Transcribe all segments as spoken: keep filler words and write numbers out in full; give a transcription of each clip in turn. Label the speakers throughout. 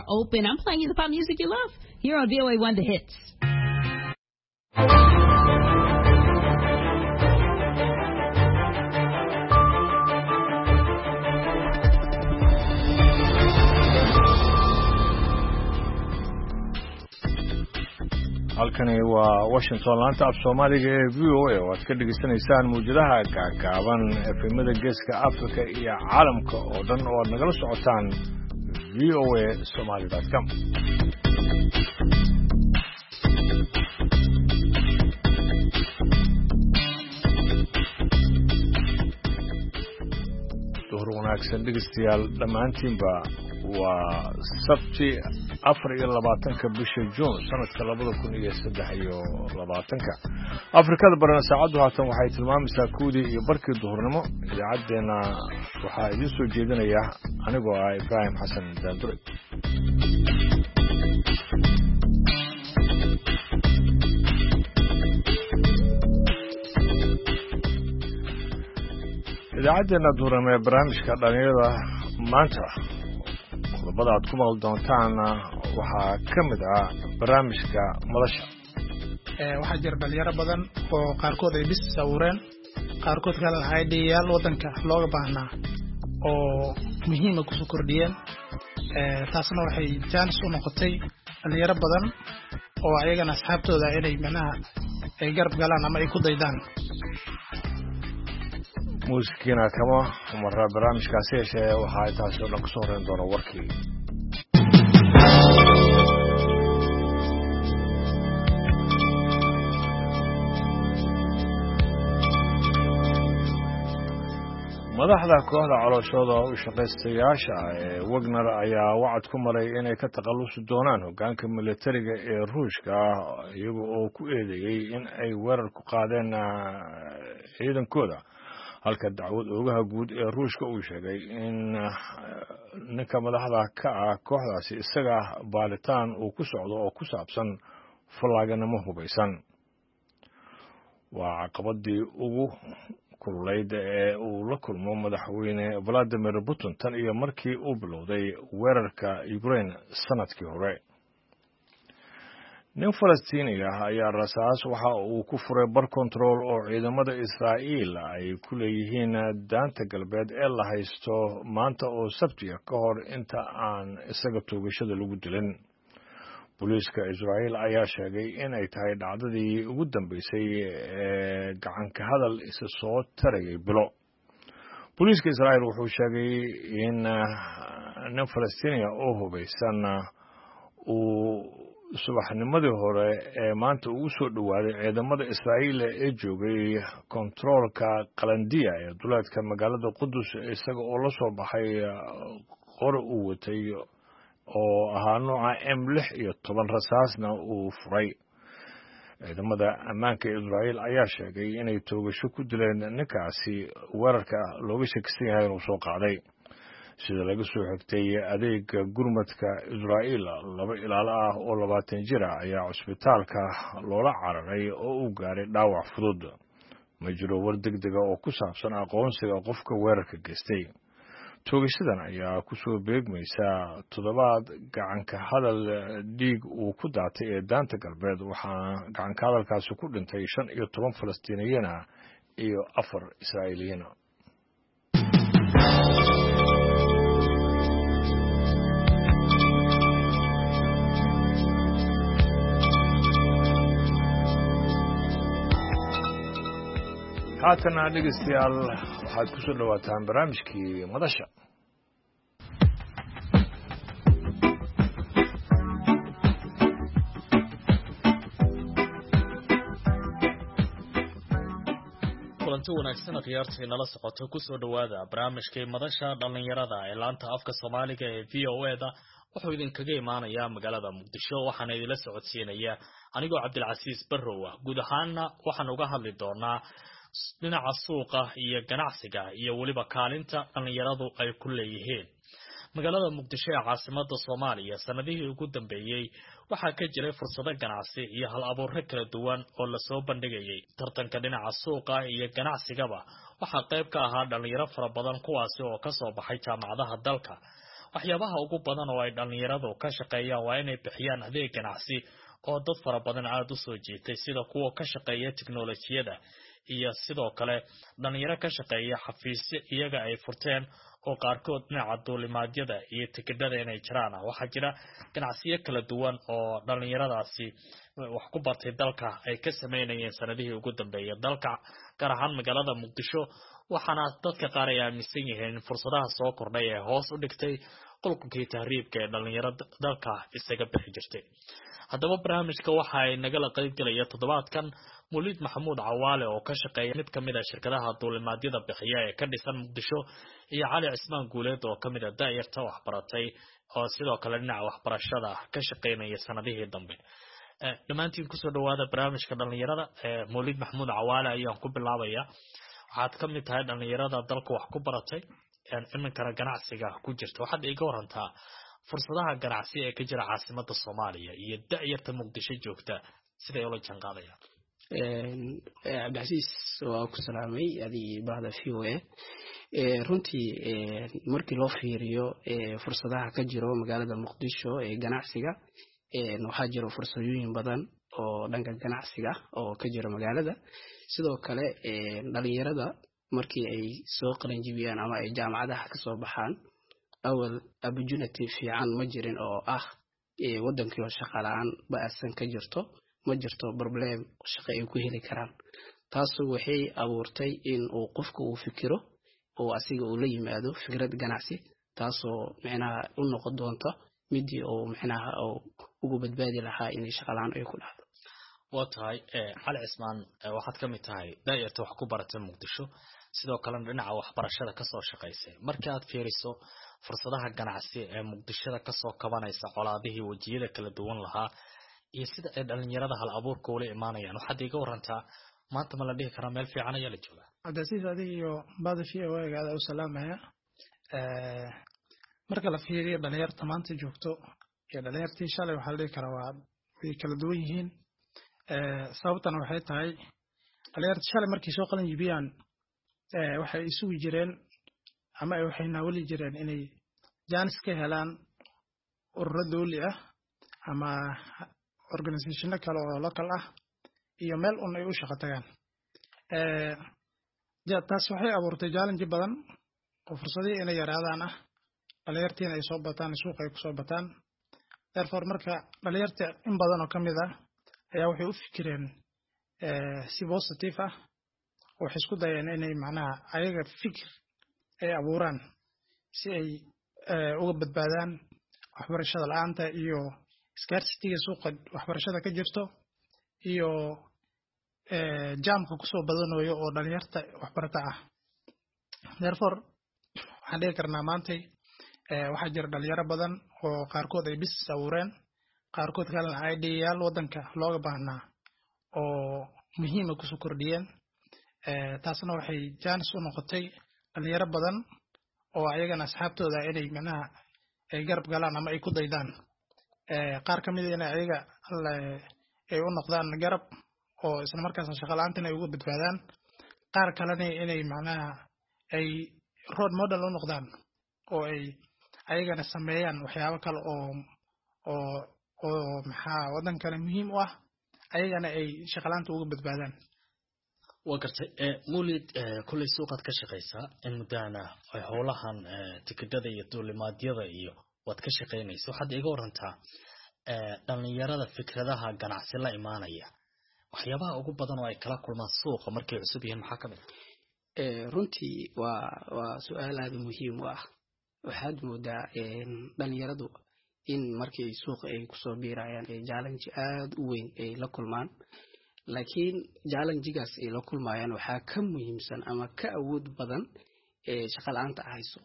Speaker 1: open. I'm playing you the pop music you love here on V O A one The Hits.
Speaker 2: Halkani waa Washington, laanta af Soomaaliga ee V O A oo aad ka dhegaysanaysaan mawjadaha gaagaaban, efemada Geeska Africa iyo caalamka oo dhan oo aad nagala socotaan V O A Somali com. Duhur wanaagsan dhegeystayaal dhammaantiinba. Waa Sabti, afar iyo labaatanka bisha Juun, sanadka labada kun iyo saddex iyo labaatanka. Afrikada barana saacaddu haatan waxay tilmaamaysaa kuwdii iyo barkii duhurnimo. Idaacaddeenna waxaa idiin soo jeedinaya anigoo ah Ibraahim Xasan Daandure. Idaacaddeenna duhurnimo ee barnaamijka dhalinyarada maanta, qodobada aad ku maqli doontaan waxaa ka mid ah barnaamijka madasha.
Speaker 3: Waxaa jira dhalinyaro badan oo qaarkood ay business abuureen, qaarkood kale haydiyaal waddanka looga baahnaa oo muhiima kusoo kordhiyeen. Taasna waxay jaanis u noqotay dhalinyaro badan oo ayagana asxaabtooda inay macnaha ay garab galaan ama ay ku daydaan.
Speaker 2: Muusikiina kama mara barnaamijkaasi, yeeshee waxaa intaasi oo dhan kusoo horeyn doona warkii. Madaxda kooxda calooshooda u shaqaystayaasha ee Wagner ayaa wacad ku maray inay ka takhalusi doonaan hoggaanka militariga ee Ruushka, iyaga oo ku eedeeyey in ay weerar ku qaadeen ciidankooda, halka dacwad oogaha guud ee Ruushka uu sheegay in ninka madaxda ka ah kooxdaasi isaga baaritaan uu ku socdo oo ku saabsan fallaaganimo hubaysan. Waa caqabadii ugu kululayd ee uu la kulmo madaxweyne Vladimir Putin tan iyo markii uu bilowday weerarka Ukraine sanadkii hore. Nin Falastiini ah ayaa rasaas waxa uu ku furay bar control oo ciidamada Israa'iil ay ku leeyihiin Daanta Galbeed ee la haysto maanta oo Sabtiya, ka hor inta aan isaga toogashada lagu dilin. Booliiska Israa'iil ayaa sheegay in ay tahay dhacdadii ugu dambeysay ee gacanka hadal isa soo tarayay bilo. Booliiska Israa'iil wuxuu sheegay in nin Falastiiniya oo hubaysan uu subaxnimadii hore ee maanta ugu soo dhowaaday ciidamada Israa'iil ee joogay kontaroolka Qalandiya ee duleedka magaalada Qudus, isaga oo la soo baxay qori uu watay oo ahaa nooca M lix iyo toban, rasaasna uu furay. Ciidamada ammaanka Israa'iil ayaa sheegay inay toogasho ku dileen ninkaasi weerarka looga shakisan yahay inuu soo qaaday. Sida laga soo xigtay adeega gurmadka Israa'iil, laba ilaalo ah oo labaatan jir ah ayaa cusbitaalka loola cararay oo uu gaaray dhaawac fudud. Ma jiro war degdega oo ku saabsan aqoonsiga qofka weerarka geystay. Toogashadan ayaa kusoo beegmaysa toddobaad gacanka hadal dhiig uu ku daatay ee Daanta Galbeed, waxaana gacanka hadalkaasi ku dhintay shan iyo toban Falastiiniyiin ah iyo afar Israa'iiliyiin. Haatana dhegeystayaal, waxaad kusoo dhowaataan barnaamijkii madasha.
Speaker 4: Kulanti wanaagsan khiyaartii nala socoto, kusoo dhowaada barnaamijkii madasha dhallinyarada ee laanta afka Soomaaliga ee V O A da. Wuxuu idinkaga imaanayaa magaalada Muqdisho, waxaana idinla socodsiinaya anigoo Cabdilcasiis Barrow ah. Guud ahaana waxaan uga hadli doonaa dhinaca suuqa iyo ganacsiga iyo weliba kaalinta dhallinyaradu ay ku leeyihiin magaalada Muqdisho ee caasimada Soomaaliya. Sanadihii ugu dambeeyey waxaa ka jiray fursado ganacsi iyo hal abuurro kala duwan oo lasoo bandhigayay. Tartanka dhinaca suuqa iyo ganacsigaba waxaa qayb ka ahaa dhalinyaro fara badan, kuwaasi oo kasoo baxay jaamacadaha dalka. Waxyaabaha ugu badan oo ay dhallinyaradu ka shaqeeyaan waa inay bixiyaan adeeg ganacsi oo dad fara badan aada u soo jiitay, sida kuwa ka shaqeeya tiknolojiyada iyo sidoo kale dhalinyaro ka shaqeeya xafiisyo iyaga ay furteen oo qaarkood dhinaca duulimaadyada iyo tikidhada inay jiraan. Waxaa jira ganacsiyo kala duwan oo dhalinyaradaasi wax ku bartay dalka ay ka sameynayeen sanadihii ugu dambeeyay dalka, gaar ahaan magaalada Muqdisho. Waxaana dadka qaar ay aaminsan yihiin in fursadaha soo kordhay ee hoos u dhigtay qulqulkii tahriibka ee dhalinyaro dalka isaga bixi jirtay. Haddaba barnaamijka waxa ay nagala qaybgelaya toddobaadkan Muliid Maxamuud Cawaale oo ka shaqeeya mid ka mid a shirkadaha duulimaadyada bixiya ee ka dhisan Muqdisho, iyo Cali Cismaan Guuleed oo ka mid a da'yarta waxbaratay oo sidoo kale dhinaca waxbarashada ka shaqeynaya sanadihii dambe. Dhammaantiin kusoo dhawaada barnaamijka dhalinyarada. Muliid Maxamuud Cawaale ayaan ku bilaabaya. Waxaad ka mid tahay dhalinyarada dalka wax ku baratay iminkana ganacsiga ku jirta. Waxaad iiga warantaa fursadaha ganacsi ee ka jira caasimada Soomaaliya iyo da'yarta Muqdisho joogta siday ula jaanqaadayaan.
Speaker 5: Cabdicasiis, waa ku salaamay adigii bahda V O A. Runtii markii loo fiiriyo fursadaha ka jiro magaalada Muqdisho ee ganacsiga, waxaa jiro fursadooyin badan oo dhanka ganacsiga oo ka jira magaalada. Sidoo kale dhalinyarada markii ay soo qalinjibiyaan ama ay jaamacadaha kasoo baxaan, awal opportunity fiican ma jirin oo ah wadankii oo shaqa la-aan ba-asan ka jirto, ma jirto problem shaqo ay ku heli karaan. Taasu waxay abuurtay in uu qofku uu fikiro oo asiga uu la yimaado fikrad ganacsi, taasoo micnaha u noqon doonta midii uu micnaha ugu badbaadi lahaa inay shaqa la-aan ay ku dhacdo.
Speaker 4: Waa tahay Cali Cismaan, waxaad ka mid tahay da'yarta wax ku baratay Muqdisho, sidoo kalena dhinaca waxbarashada kasoo shaqaysay. Marka aad fiiriso fursadaha ganacsi ee Muqdishada kasoo kabanaysa colaadihii wejiyada kala duwan lahaa iyo sida ay dhalinyarada hal abuurka ula imaanayaan, waxaad iiga warantaa maanta ma la dhihi karaa meel fiican ayaa la joogaa?
Speaker 3: Cabdicasiis, adiga iyo bahda V O A aada u salaamaya. Marka la fiiriyo dhalinyarta maanta joogto iyo dhalinyartii shalay, waxaa la dhihi karaa waa way kala duwan yihiin. Sababtana waxay tahay dhalinyarta shalay markay soo qalin jibiyaan waxay isugi jireen ama waxay naawali jireen inay jaanis ka helaan ururo dowli ah ama organisationo kale oo local ah iyo meel un ay u shaqo tagaan. Taas waxay abuurtay challenge badan oo fursadihii inay yaraadaan ah, dhalinyartiina ay soo bataan, suuqa ay kusoo bataan. Therefore marka dhalinyarta in badan oo ka mid ah ayaa waxay u fikireen si positive ah, waxay isku dayeen inay macnaha ayaga fikir ay abuuraan si ay uga badbaadaan waxbarashada la-aanta iyo scarcity-ga suuqa waxbarashada ka jirto iyo jaamka kusoo badanayo oo dhalinyarta waxbarata ah. Therefore waxaan dhihi karnaa maantay waxaa jira dhalinyaro badan oo qaarkood ay business abuureen, qaarkood kalena ideayaal wadanka looga baahnaa oo muhiima kusoo kordhiyeen. Taasna waxay jaanis u noqotay dhalinyaro badan oo ayagana asxaabtooda inay macnaha ay garab galaan ama ay ku daydaan, qaar ka mid a inay ayaga ay u noqdaan garab oo isla markaasna shaqa la-aantan ay uga badbaadaan, qaar kalena inay macnaha ay role model u noqdaan oo ay ayagana sameeyaan waxyaabo kale oo oo oo maxaa wadankana muhiim u ah, ayagana ay shaqa la-aanta uga badbaadaan.
Speaker 4: Waa gartay Mawlid, kolley suuqaad ka shaqaysaa in muddahana howlahan tikidhada iyo duulimaadyada iyo waad ka shaqaynaysa. Waxaad iiga warantaa dhalinyarada fikradaha ganacsi la imaanaya, waxyaabaha ugu badan oo ay kala kulmaan suuqa markay cusub yihiin maxaa ka mid
Speaker 5: ah? Runtii waa waa su-aal aada muhiim u ah. Waxaad moodaa dhalinyaradu in markii suuqa ay kusoo biirayaan ee challenge aada u weyn ay la kulmaan, laakiin challengegaas ay la kulmayaan waxaa ka muhiimsan ama ka awood badan ee shaqa la-aanta hayso.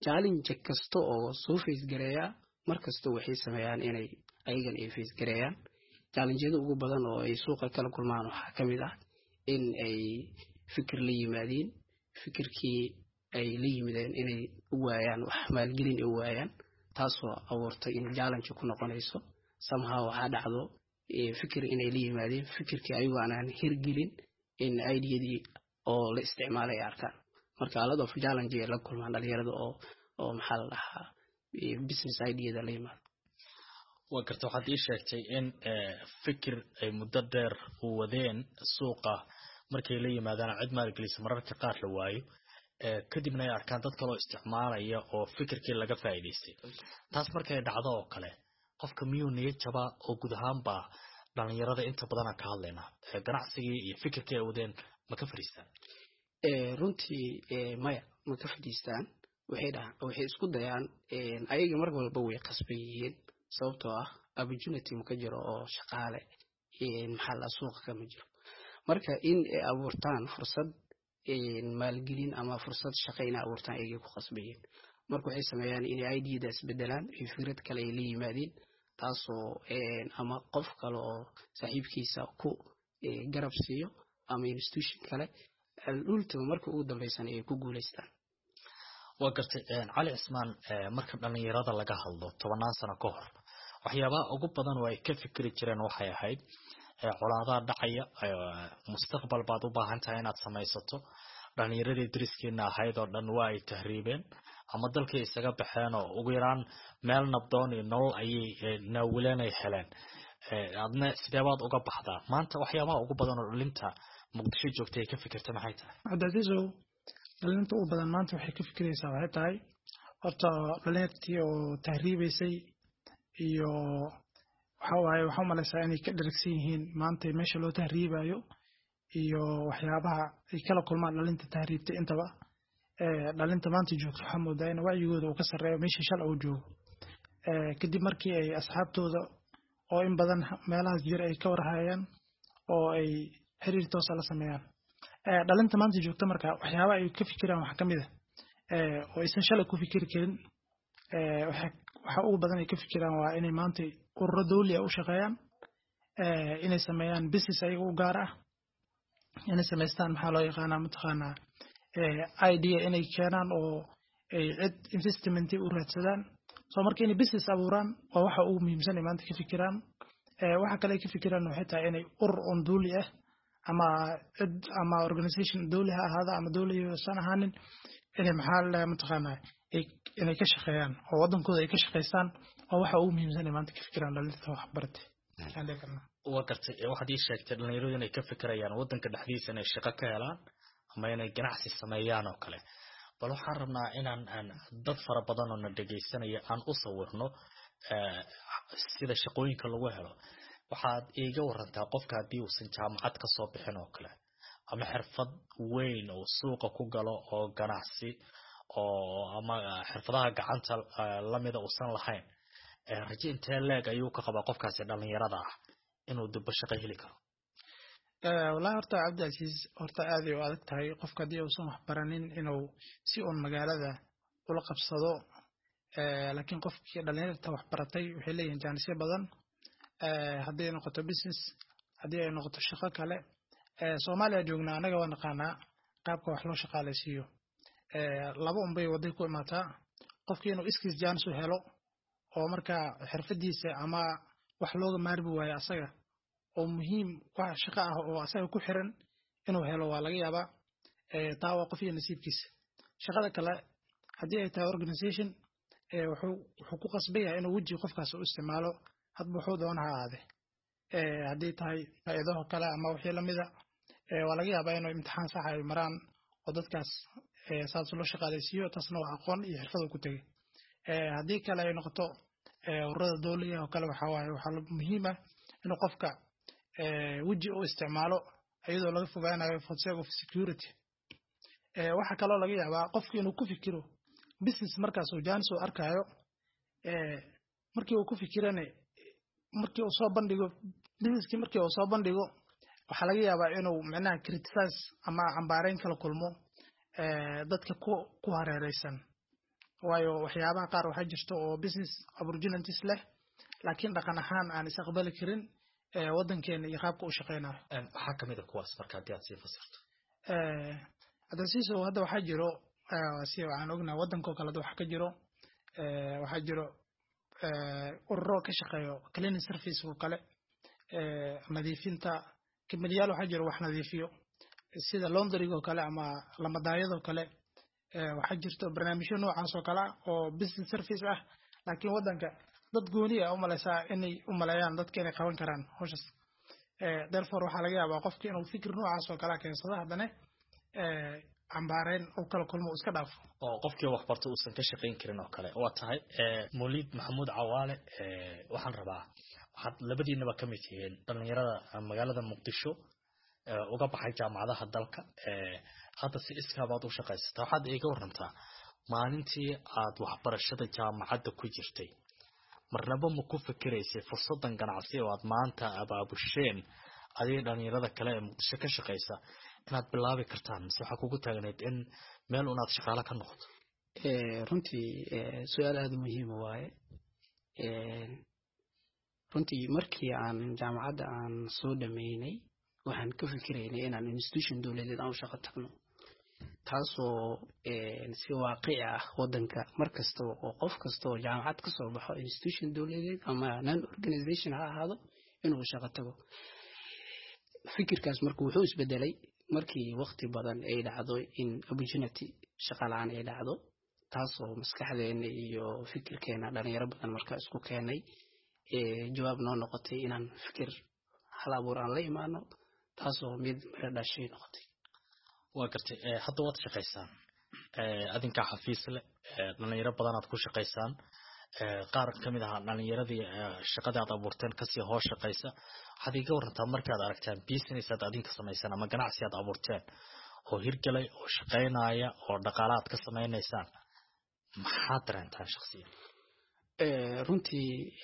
Speaker 5: Challenge kasta oo soo face gareeya mar kasta waxay sameeyaan inay ayagan ay face gareeyaan. Challengeyada ugu badan oo ay suuqa kala kulmaan waxaa ka mid ah in ay fikir la yimaadiin, fikirkii ay la yimideen inay u waayaan wax maalgelin ay u waayaan, taasoo abuurtay in challenge ku noqonayso. Somehow waxaa dhacdo fikir inay la yimaadeen, fikirkii ayagoo aanan hirgelin in ideadii oo la isticmaalay ay arkaan. Marka a lot of challenge ay la kulmaan dhalinyarada oo oo maxaa la dhahaa business ideada la yimaado.
Speaker 4: Waa garta. Waxaad ii sheegtay in fikir ay muddo dheer u wadeen suuqa markay la yimaadaan cid maalgelisa mararka qaar la waayo, kadibna ay arkaan dad kaloo isticmaalaya oo fikirkii laga faa'iidaystay. Taas markay dhacdo oo kale, qofka miyuu niyad jabaa? Oo guud ahaanba dhalinyarada inta badan aan ka hadlaynaa, ganacsigii iyo fikirkii ay wadeen ma ka fadhiistaan?
Speaker 5: Runtii maya, ma ka fadhiistaan. Waxay dhahaan, waxay isku dayaan ayaga mar walba way qasban yihiin, sababtoo ah opportunity ma ka jiro oo shaqaale maxaa la suuqa kama jiro. Marka in ay abuurtaan fursad maalgelin ama fursad shaqo inay abuurtaan ayagay ku qasban yihiin. Marka waxay sameeyaan inay ideada isbedelaan iyo fikrad kale ay la yimaadeen, taasoo ama qof kale oo saaxiibkiisa ku garab siiyo ama institution kale ultima marka ugu dambeysana ay ku guuleystaan.
Speaker 4: Waa gartay, Cali Cismaan. Marka dhalinyarada laga hadlo, tobanaan sano ka hor waxyaabaha ugu badan oo ay ka fikri jireen waxay ahayd colaadaha dhacaya, mustaqbal baad u baahan tahay inaad samaysato, dhalinyaradii dariskiina ahayd oo dhan waa ay tahriibeen ama dalkay isaga baxeen oo ugu yaraan meel nabdoon iyo nolol ayay naawileen ay heleen, adna sideebaad uga baxdaa? Maanta waxyaabaha ugu badan oo dhalinta Muqdisho joogtay ay ka fikirta maxay tahay?
Speaker 3: Cabdicasiisow, dhalinta ugu badan maanta waxay ka fikiraysaa waxay tahay horta dhalintii oo tahriibaysay iyo waxa waaye, waxaa umalaysaa inay ka dheragsan yihiin maanta meesha loo tahriibayo iyo waxyaabaha ay kala kulmaan dhalinta tahriibtay. Intaba dhalinta maanta joogto waxaa moodaa in wacyigooda uu ka sarreeyo meeshii shalay uu joogo, kadib markii ay asxaabtooda oo in badan meelahaas jira ay ka warhayaan oo ay xiriir toosa la sameeyaan. Dhalinta maanta joogta marka waxyaaba ay ka fikiraan waxaa kamid ah oo aysan shalay ku fikiri karin. Waxa ugu badan ay ka fikiraan waa inay maanta ururo dawli ah u shaqeeyaan, inay sameeyaan business ayaga u gaar ah, inay samaystaan maxaa loo yaqaanaa mataqaanaa idea inay keenaan oo ay cid investment u raadsadaan. So marka inay business abuuraan waa waxa ugu muhiimsan ay maanta ka fikiraan. Waxa kale ay ka fikiraan waxay tahay inay urur on dawli ah ama cid ama organization dawli ha ahaada ama dawli san ahaanin inay maxaa la mataqaanaa inay ka shaqeeyaan oo waddankooda ay ka shaqeystaan. Waa waxa ugu muhiimsan ay maanta ka fikiraan dhalinta waxbaratay.
Speaker 4: Waa gartay. Waxaad ii sheegtay dhalinyaradu inay ka fikirayaan waddanka dhexdiisa inay shaqo ka helaan ama inay ganacsi sameeyaan oo kale. Bal waxaan rabnaa inaan aan dad fara badan oo na dhegaysanaya aan u sawirno sida shaqooyinka lagu helo. Waxaad iiga warantaa qofka haddii uusan jaamacad ka soo bixin oo kale ama xirfad weyn oo suuqa ku galo oo ganacsi oo ama xirfadaha gacanta lamida uusan lahayn, rajo intee leeg ayuu ka qabaa qofkaasi dhalinyarada ah inuu dibbo shaqo heli karo?
Speaker 3: Wallahi horta Cabdicasiis, horta aad ay u adag tahay qofka haddii uusan wax baranin inuu si uun magaalada ula qabsado. Laakiin qofkii dhalinyarta wax baratay waxay leeyihiin jaanisyo badan, haddii ay noqoto business, haddii ay noqoto shaqo kale. Soomaaliya joognaa annaga, waa naqaanaa qaabka wax loo shaqaalaysiiyo. Laba unbay waday ku imaataa: qofkii inuu iskiis jaanis u helo oo markaa xirfadiisa ama wax looga maarmi waayo asaga oo muhiim wax shaqo ah oo asaga ku xiran inuu helo waa laga yaabaa. Taa waa qof iyo nasiibkiisa. Shaqada kale haddii ay tahay organization, wuxuu wuxuu ku qasban yahay inuu weji qofkaas u isticmaalo, hadba wuxuu doona ha ahaade. Haddii tahay hay-adaho kale ama wixii lamida, waa laga yaabaa inuu imtixaan sax ay maraan oo dadkaas saas loo shaqaalaysiiyo. Taasna waa aqoon iyo xirfad uu ku tegey. Haddii kale ay noqoto ururada dowliga oo kale, waxaa waaye waxaa muhiim ah inuu qofka weji u isticmaalo iyadoo laga fogaanayo for sake of security. Waxaa kaloo laga yaabaa qofki inuu ku fikiro business markaas uu jaanis uu arkaayo. Markii uu ku fikirana, markii uu soo bandhigo businesskii, markii uu soo bandhigo, waxaa laga yaabaa inuu micnaha criticize ama cambaareyn kala kulmo dadka ku ku hareereysan, waayo waxyaabaha qaar waxaa jirta oo business opportunities leh laakiin dhaqan ahaan aan is aqbali karin waddankeena iyo qaabka u shaqeynayo.
Speaker 4: Maxaa kamid a kuwaas marka haddii aad sii fasirto?
Speaker 3: Cabdicasiisow, hadda waxaa jiro, si waxaan ognahay waddankoo kale hadda waxaa ka jiro waxaa jiro ururo ka shaqeeyo cleaning service oo kale, nadiifinta kamaliyaal. Waxaa jiro wax nadiifiyo sida laundryga oo kale ama lamadaayadoo kale. Waxaa jirto barnaamijyo noocaas oo kale ah oo business service ah, Laakiin waddanka dad gooni ah u malaysaa inay u maleeyaan dadka inay qaban karaan hawshaas. Therefore, waxaa laga yaabaa qofka inuu fikir noocaas oo kalea keensado, haddana cambaareyn uu kala kulmo, uu iska dhaafo.
Speaker 4: Oo qofkii waxbarta uusan ka shaqayn karin oo kale. Waa tahay, Mawliid Maxamuud Cawaale, waxaan rabaa, waxaad labadiinaba ka mid tihiin dhalinyarada magaalada Muqdisho uga baxay jaamacadaha dalka, hadda si iskaabaad u shaqaysataa. Waxaad iiga warantaa maalintii aad waxbarashada jaamacadda ku jirtay, marnaba ma ku fikiraysay fursadan ganacsi oo aad maanta abaabusheen adiga dhalinyarada kale ee Muqdisho ka shaqaysa inaad bilaabi kartaan, mise waxaa kugu taagneyd in meel unaad shaqaale ka noqoto?
Speaker 5: Runtii su-aal aada muhiima waaye. Runtii markii aan jaamacadda aan soo dhameynay, waxaan ka fikiraynay inaan institution dowladeed aan u shaqo tagno, taasoo si waaqici ah waddanka mar kastaba oo qof kasta oo jaamacad ka soo baxo institution dowladeed ama non organization ha ahaado inuu shaqo tago. Fikirkaas marka wuxuu isbedelay markii waqti badan ay dhacdo in opportunity shaqa la-aan ay dhacdo, taasoo maskaxdeena iyo fikirkeena dhalinyaro badan marka isku keenay jawaab noo noqotay inaan fikir hal abuur aan la imaano, taasoo mid miro dhashay noqotay.
Speaker 4: Waa gartay. Hadda waad shaqaysaan, adinkaa xafiis leh, dhalinyaro badanaad ku shaqaysaan, qaar ka mid ahaa dhalinyaradii shaqadii aad abuurteen kasii hoos shaqaysa. Waxaad iiga warantaa markaad aragtaan business aad adinka samaysaan ama ganacsi aad abuurteen oo hirgalay oo shaqaynaya oo dhaqaala aad ka samaynaysaan, maxaad dareentaan shaksiyan?
Speaker 5: Runtii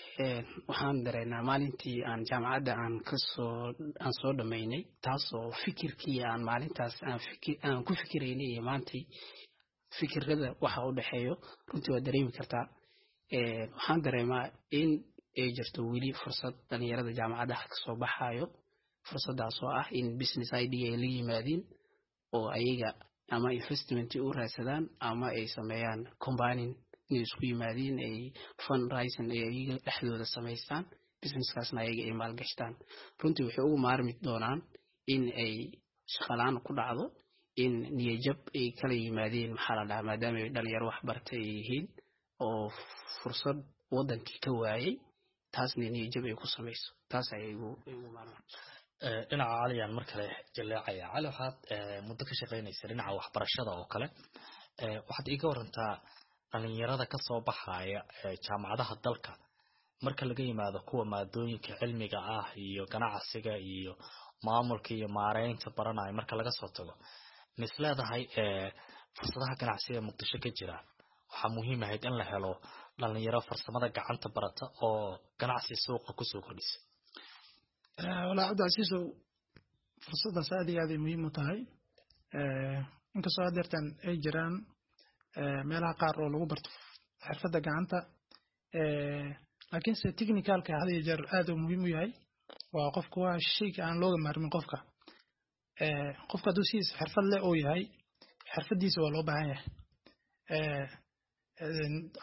Speaker 5: waxaan dareennaa maalintii aan jaamacadda aan kasoo aan soo dhammaynay, taasoo fikirkii aan maalintaas aan fikir aan ku fikiraynay iyo maantay fikirada waxa u dhexeeyo runtii waa dareemi kartaa. Waxaan dareemaa in ay jirto weli fursad dhalinyarada jaamacadaha kasoo baxayo, fursadaas oo ah in business idea ay la yimaadiin oo ayaga ama investment u raadsadaan ama ay sameeyaan combining, inay isku yimaadiin ay fundraising ay ayaga dhexdooda samaystaan, businesskaasna ayaga ay maalgashtaan. Runtii waxay ugu maarmi doonaan in ay shaqalaan ku dhacdo, in niyajab ay kala yimaadeen, maxaa la dhahaa, maadaama ay dhalinyaro wax bartay ay yihiin oo fursad wadankii ka waayay, taasna niyajab ay ku samayso. Taas ayay igu igu maarmaan.
Speaker 4: Dhinaca Caliyaan mar kale jaleecaya. Cali, waxaad muddo ka shaqaynaysa dhinaca waxbarashada oo kale. Waxaad iiga warantaa dhalinyarada kasoo baxaya jaamacadaha dalka, marka laga yimaado kuwa maadooyinka cilmiga ah iyo ganacsiga iyo maamulka iyo maareynta baranaya, marka laga soo tago, mis leedahay fursadaha ganacsiga ee Muqdisho ka jira waxaa muhiim ahayd in la helo dhalinyaro farsamada gacanta barata oo ganacsi suuqa kusoo kordhisa?
Speaker 3: Walaa Cabdicasiisow, fursaddaas aad iyo aad ay muhiim u tahay, inkastoo haddeertan ay jiraan meelaha qaar oo lagu barto xirfadda gacanta, laakiinse technicalka had iyo jeer aad uu muhiim u yahay. Waa qofka, waa shayga aan looga maarmin. Qofka qofka hadduu sidiisa xirfad leh uu yahay, xirfaddiisa waa loo baahan yahay.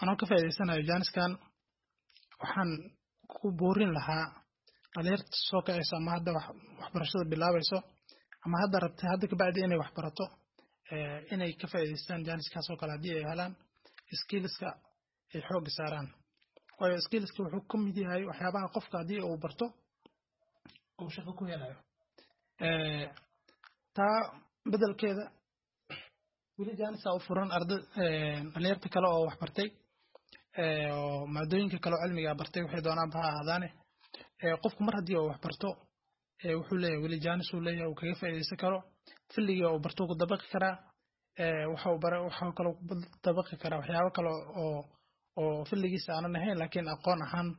Speaker 3: Anoo ka faa'iidaysanayo jaaniskan, waxaan ku boorin lahaa dhalinyarta soo kacayso ama hadda waxbarashada bilaabayso ama hadda rabtay hadda kabacdi inay wax barato inay ka faa'iidaystaan jaaniskaas oo kale haddii ay helaan, skillska ay xoogga saaraan, waayo skillska wuxuu ka mid yahay waxyaabaha qofka haddii uu barto uu shaqo ku helayo. Taa bedelkeeda weli jaanisa u furan arda dhalinyarta kale oo wax bartay oo maadooyinka kale oo cilmiga bartay, waxay doonaanba ha ahaadaane. Qofku mar haddii uu wax barto, wuxuu leeyahay weli jaanis uu leeyahay uu kaga faa'iidaysan karo filligii uu barto, ku dabaqi karaa waxa uu bara, waxa kaloo ku dabaqi karaa waxyaabo kale oo oo filligiisa aanan ahayn, laakiin aqoon ahaan,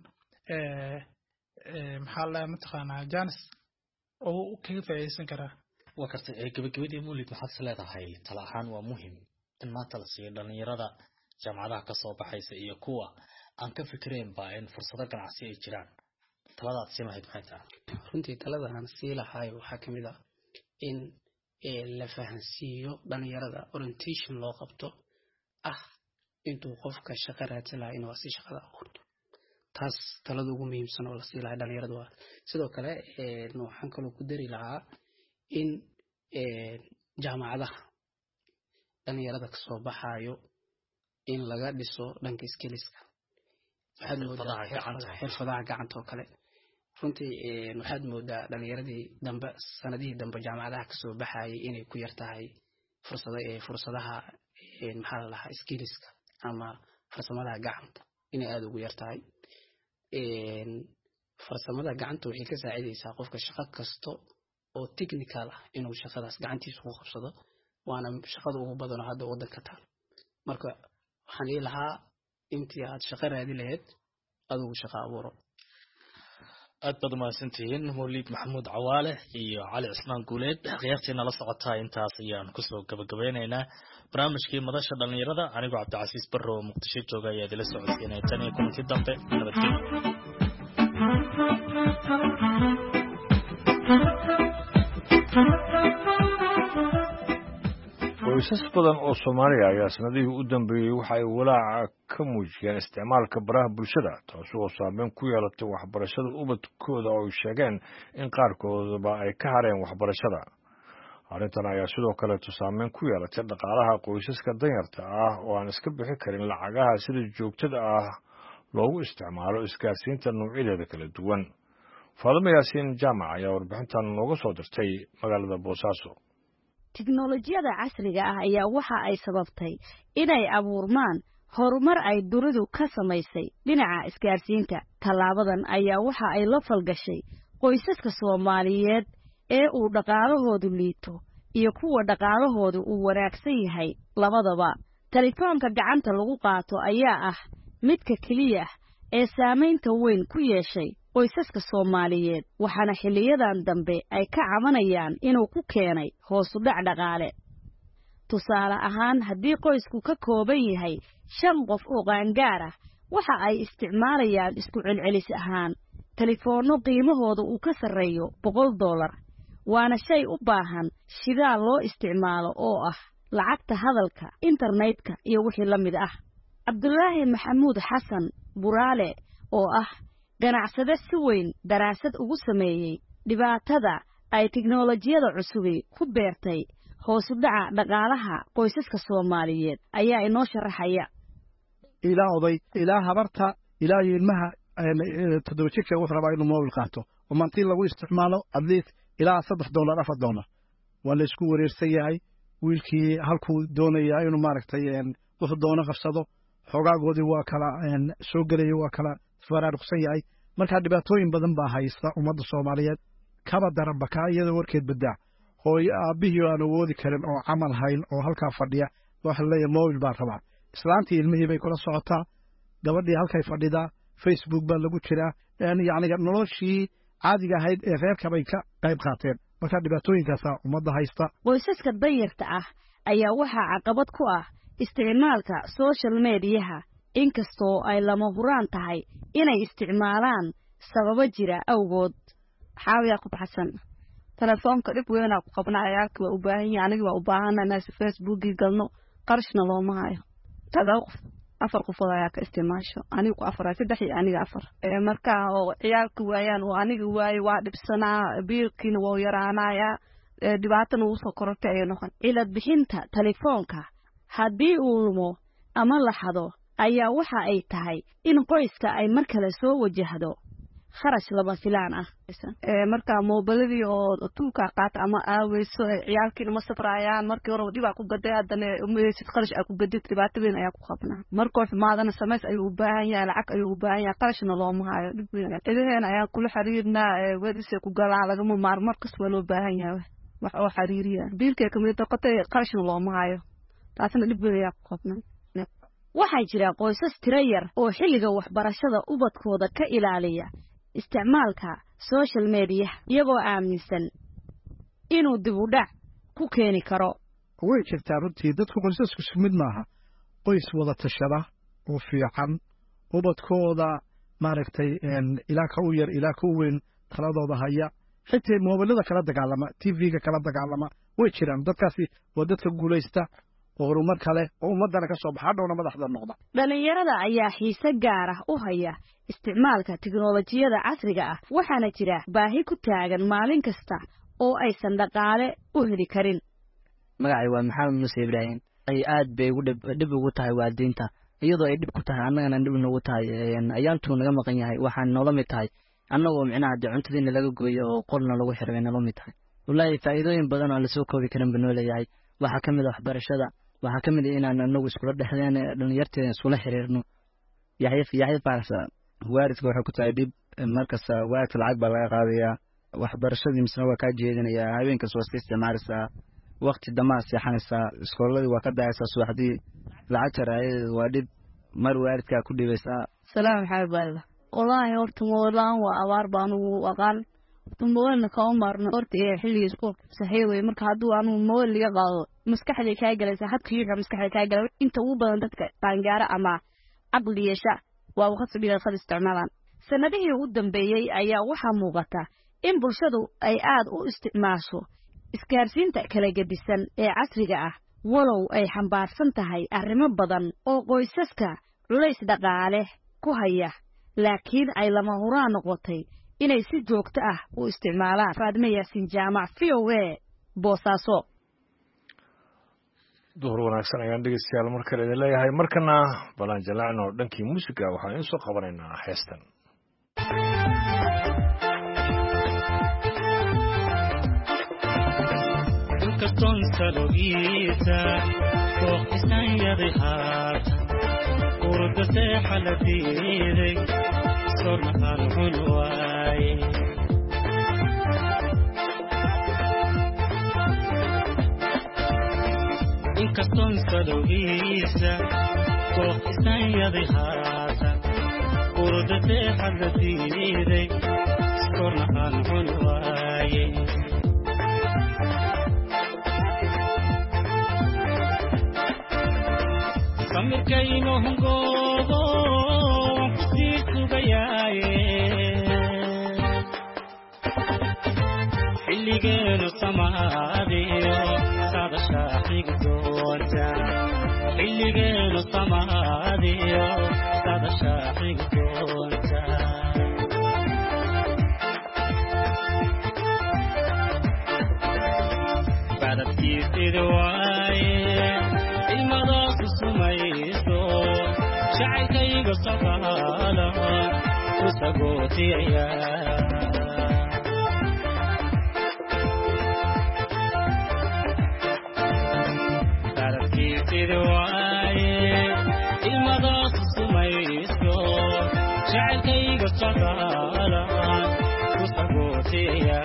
Speaker 3: maxaa la mataqaanaa, jaanis oo kaga faa'iidaysan karaa.
Speaker 4: Waa kartay. Gabagabadii, Mawlid, maxaad is leedahay tala ahaan waa muhim in maanta la siiyo dhalinyarada jaamacadaha kasoo baxaysa iyo kuwa aan ka fikiraynba in fursado ganacsi ay jiraan? Talada aad siin lahayd maxay tahay?
Speaker 5: Runtii talada aan sii lahaay waxaa kamid ah in la fahansiiyo dhalinyarada, orientation loo qabto ah intuu qofka shaqo raadsan lahaa inuu asi shaqada abuurto. Taas talada ugu muhiimsan oo la sii lahaa dhalinyarada waa. Sidoo kale waxaan kaloo ku dari lahaa in jaamacadaha dhalinyarada kasoo baxayo in laga dhiso dhanka skillska. Waxaad moodaa xirfadaha gacanta oo kale. Runtii waxaad moodaa dhalinyaradii dambe, sanadihii dambe jaamacadaha kasoo baxayay, inay ku yar tahay fursada fursadaha maxaa la dhahaa, skillska ama farsamadaha gacanta inay aada ugu yar tahay. Farsamada gacanta waxay ka saacidaysaa qofka shaqo kasta oo technical ah inuu shaqadaas gacantiisa ku qabsado, waana shaqada ugu badanoo hadda waddanka taal. Marka waxaan dhihi lahaa, intii aad shaqo raadi lahayd, adigu shaqo abuuro.
Speaker 4: Aad baad umahadsantihiin, Mawliid Maxamuud Cawaale iyo Cali Cismaan Guuleed. Khiyaartii nala socotaa, intaas ayaan kusoo gabagabeyneynaa barnaamijkii Madasha Dhalinyarada. Anigoo Cabdicasiis Barro oo Muqdisho jooga ayaa idila socodsiinaya. Tan iyo kulanti dambe, nabadgelyo.
Speaker 2: Qoysas badan oo Soomaaliya ayaa sanadihii u dambeeyey waxa ay walaaca ka muujiyeen isticmaalka baraha bulshada, taasi oo saameyn ku yeelatay waxbarashada ubadkooda, oo ay sheegeen in qaarkoodaba ay ka hareen waxbarashada. Arrintan ayaa sidoo kaleeto saameyn ku yeelatay dhaqaalaha qoysaska danyarta ah oo aan iska bixi karin lacagaha sida joogtada ah loogu isticmaalo isgaarsiinta noocyadeeda kala duwan. Faadimo Yaasiin Jaamac ayaa warbixintan nooga soo dirtay magaalada Boosaaso.
Speaker 6: Tiknolojiyada casriga ah ayaa waxa ay sababtay inay abuurmaan horumar ay dunidu ka samaysay dhinaca isgaarsiinta. Tallaabadan ayaa waxa ay la falgashay qoysaska Soomaaliyeed ee uu dhaqaalahoodu liito iyo kuwa dhaqaalahoodu uu wanaagsan yahay labadaba. Telefoonka gacanta lagu qaato ayaa ah midka keliya ee saamaynta weyn ku yeeshay qoysaska Soomaaliyeed, waxaana xilliyadan dambe ay ka cabanayaan inuu ku keenay hoosu dhac dhaqaale. Tusaale ahaan, haddii qoysku ka kooban yahay shan qof oo qaangaar ah, waxa ay isticmaalayaan isku celcelis ahaan telefoonno qiimahooda uu ka sarreeyo boqol dollar, waana shay u baahan shidaal loo isticmaalo oo ah lacagta hadalka, internetka iyo wixii la mid ah. Cabdulaahi Maxamuud Xasan Buraale oo ah ganacsade si weyn daraasad ugu sameeyey dhibaatada ay tiknolojiyada cusubi ku beertay hoosu dhaca dhaqaalaha qoysaska Soomaaliyeed ayaa inoo sharaxaya.
Speaker 7: Ilaa oday, ilaa habarta, ilaa ilmaha toddoba jirka wuxuu rabaa inuu mobil qaato oo mantii lagu isticmaalo at least ilaa saddex dollar, afar dollar. Waa la isku wareersan yahay. Wiilkii halkuu doonayaa inuu maaragtay wuxuu doono qabsado, xogaagoodii waa kala soo gelaya, waa kala faraaruqsan yahay. Marka dhibaatooyin badan baa haysta ummadda Soomaaliyeed. Kaba daranba kaa iyada warkeed badaa, hooyo aabbihii aan awoodi karin oo camal hayn oo halkaa fadhiya waxa laleeyahay mobil baan rabaa. Islaantii ilmihii bay kula socotaa, gabadhii halkay fadhidaa, Facebook baa lagu jiraa, yacni noloshii caadiga ahayd ee reerka bay ka qayb qaateen. Marka dhibaatooyinkaasaa ummadda haysta.
Speaker 6: Qoysaska danyarta ah ayaa waxaa caqabad ku ah isticmaalka social mediyaha, inkastoo ay lama huraan tahay inay isticmaalaan sababo jira awgood.
Speaker 8: Xaawi Yaqub Xasan. Telefoonka dhib weynaa ku qabnaa. Ciyaalka waa u baahan yahay, aniga waa u baahana inaan Facebookii galno, qarashna looma hayo. Todoba qof, afar qofood ayaa ka isticmaasho, anigu ku afar, saddex iyo aniga afar. Marka oo ciyaalka waayaan oo aniga waayo, waa dhibsanaa, biilkiina waa yaraanayaa, dhibaatana wuu soo korortay ayay noqon.
Speaker 6: Cilad bixinta telefoonka haddii uu lumo ama la xado ayaa waxa ay tahay in qoyska ay mar kale soo wajahdo kharash lama filaan ah.
Speaker 8: Marka moobiladii oo tuulkaa qaata ama aaweyso, ciyaalkiina ma safraayaan. Markii hore dhibaa ku gaday, haddana umaheysid qarash aa ku gadid. Dhibaato weyn ayaa ku qabnaa. Markuu xumaadana samays ayuu u baahan yahay, lacag ayuu u baahan yahay, qarashna looma hayo. Dhib weyn cidaheena ayaan kula xiriirnaa, wedisay ku galaa, lagama maarmo, markas waa loo baahan yahay wax oo xiriiriya. Biilkay kamid noqotay, qarashna looma hayo, taasna dhib weyn ayaa ku qabnaa.
Speaker 6: Waxaa jira qoysas tiro yar oo xilliga waxbarashada ubadkooda ka ilaaliya isticmaalka social mediyaha, iyagoo aaminsan inuu dib u dhac ku keeni karo.
Speaker 7: Way jirtaa runtii, dadku qoysasku isku mid maaha. Qoys wada tashada oo fiican, ubadkooda maaragtay ilaa ka u yar ilaa ka u weyn taladooda haya, xitaa moobilada kala dagaalama, T V-ga kala dagaalama, way jiraan. Dadkaasi waa dadka guulaysta oo horumar kale oo ummaddana ka soo baxa, hadhowna madaxda noqda.
Speaker 6: Dhallinyarada ayaa xiise gaar ah u haya isticmaalka tiknolojiyada casriga ah, waxaana jira baahi ku taagan maalin kasta oo aysan dhaqaale u heli karin.
Speaker 9: Magacay waa Maxamed Muuse Ibraahim. Ay aad bay ugu dhib ugu tahay waalidiinta. Iyadoo ay dhib ku tahay annagana dhib noogu tahay, ayaantuu naga maqan yahay, waxaan noola mid tahay annagoo micnaha dee cuntadiina laga gooyo oo qolna lagu xiray bay noola mid tahay. Wallaahi faa'iidooyin badan oo aan lasoo koobi karin buu noo leeyahay. Waxaa ka mid ah waxbarashada, waxaa ka mid ah inaan anagu iskula dhexdeen dhalinyarteeda iskula xiriirno.
Speaker 10: Yaxya Yaxya Faarax. Waalidka waxay ku tahay dhib markasta, waalidka lacag baa laga qaadayaa, waxbarashadii misna waa kaa jeedinayaa, habeenkaas waa iska isticmaalaysaa, waqti damaa seexanaysaa, iskooladii waa ka daayaysaa, subaxdii lacagta raayadeeda waa dhib, mar waalidkaa ku dhibaysaa.
Speaker 8: Salaam maxamed baalida. Wallaahi horta moolaan waa abaar baan ugu aqaan, horta moolna kama maarno horta ee xilliga iskuulka saxiix wey. Marka hadduu anugu mool liga qaado maskaxday kaa galaysa, hadka yuuxa maskaxda kaa gala. Inta ugu badan dadka qaangaara ama caqli yeesha waa waqti bila khad isticmaalaan.
Speaker 6: Sanadihii ugu dambeeyey ayaa waxaa muuqata in bulshadu ay aad u isticmaasho isgaarsiinta kala gedisan ee casriga ah, walow ay xambaarsan tahay arrimo badan oo qoysaska culays dhaqaale ku haya, laakiin ay lama huraan noqotay inay si joogto ah u isticmaalaan. Faadme Yaasiin Jaamac, V O A, Boosaaso.
Speaker 2: Duhur wanaagsan ayaan dhegeystayaal mar kale idin leeyahay. Markana balaan jalacno dhankii muusiga, waxaan idiin soo qabanaynaa heestan.
Speaker 11: Inkastoon salogiisa booqisanyaday haatan urda seexa la diiday sorna aan cun waaye. Inkastoon salogiisa booqisanyaday haatan urda seexa la diiday sorna aan cun waaye. Samirkayno hungoobo waan kusii sugayaaye, xilligeenu samaadiyo sadashaa xigi doonta, xilligeenu samaadiyo sadashaa xigi doonta. Badadkiisidi waaye ilmadaasu sumayso jacaylkayga socdaala ku sagootiyaya. Badadkiisidi waaye ilmadaasu sumayso jacaylkayga socdaala ku sagootiyaya.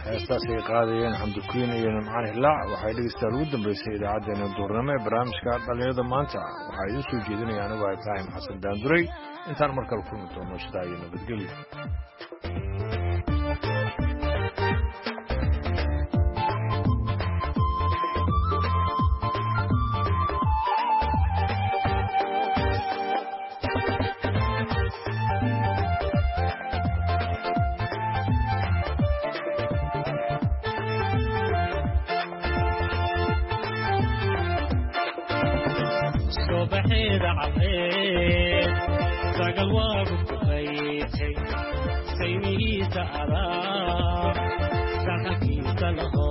Speaker 2: Heestaas ay qaadayeen Xamdukiin iyo Nimcaan Hilaac waxay dhegeystayaal ugu dambeysay idaacaddeenna duurnimo ee barnaamijka dhalinyarada maanta. Waxaa idiin soo jeedinaya anigu ah Ibraahim Xasan Daanduray. Intaan mar kale kulmi doono sidaa iyo nabadgelyo.
Speaker 11: Subaxeeda cadceed sagal waagu ku qaytay. Saymihiisa adaa, saxankiisa laho.